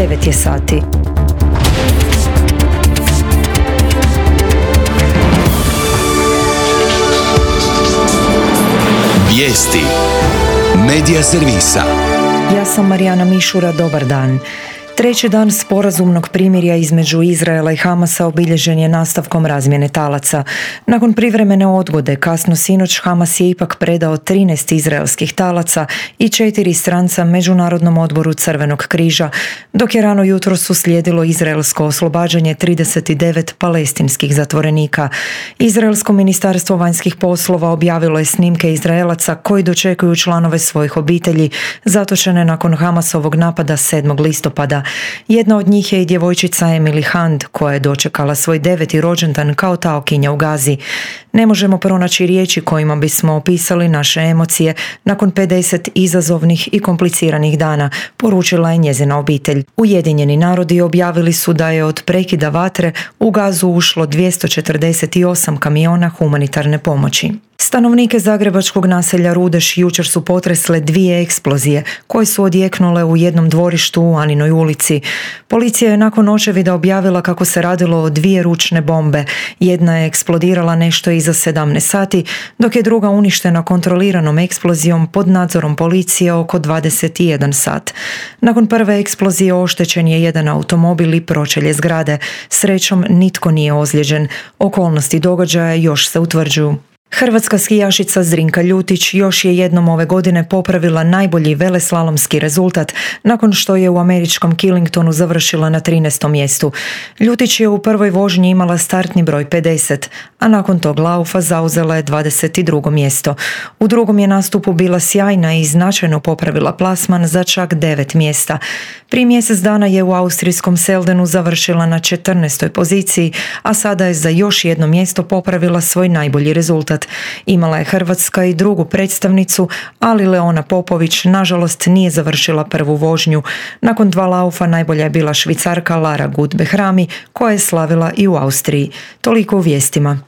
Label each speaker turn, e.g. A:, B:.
A: 9 je sati.
B: Vijesti Medija servisa.
A: Ja sam Marijana Mišura, dobar dan. Treći dan sporazumnog primirja između Izraela i Hamasa obilježen je nastavkom razmjene talaca. Nakon privremene odgode, kasno sinoć Hamas je ipak predao 13 izraelskih talaca i 4 stranca Međunarodnom odboru Crvenog križa, dok je rano jutros uslijedilo izraelsko oslobađanje 39 palestinskih zatvorenika. Izraelsko ministarstvo vanjskih poslova objavilo je snimke Izraelaca koji dočekuju članove svojih obitelji zatočene nakon Hamasovog napada 7. listopada. Jedna od njih je i djevojčica Emily Hand, koja je dočekala svoj 9. rođendan kao taokinja u Gazi. Ne možemo pronaći riječi kojima bismo opisali naše emocije nakon 50 izazovnih i kompliciranih dana, poručila je njezina obitelj. Ujedinjeni narodi objavili su da je od prekida vatre u Gazu ušlo 248 kamiona humanitarne pomoći. Stanovnike zagrebačkog naselja Rudeš jučer su potresle 2 eksplozije koje su odjeknule u jednom dvorištu u Aninoj ulici. Policija je nakon očevida objavila kako se radilo o 2 ručne bombe. Jedna je eksplodirala nešto iza 17 sati, dok je druga uništena kontroliranom eksplozijom pod nadzorom policije oko 21 sat. Nakon prve eksplozije oštećen je jedan automobil i pročelje zgrade. Srećom nitko nije ozlijeđen. Okolnosti događaja još se utvrđuju. Hrvatska skijašica Zrinka Ljutić još je jednom ove godine popravila najbolji veleslalomski rezultat nakon što je u američkom Killingtonu završila na 13. mjestu. Ljutić je u prvoj vožnji imala startni broj 50, a nakon tog laufa zauzela je 22. mjesto. U drugom je nastupu bila sjajna i značajno popravila plasman za čak 9 mjesta. Prije mjesec dana je u austrijskom Seldenu završila na 14. poziciji, a sada je za još jedno mjesto popravila svoj najbolji rezultat. Imala je Hrvatska i drugu predstavnicu, ali Leona Popović nažalost nije završila prvu vožnju. Nakon 2 laufa najbolja je bila Švicarka Lara Gut Behrami, koja je slavila i u Austriji. Toliko u vijestima.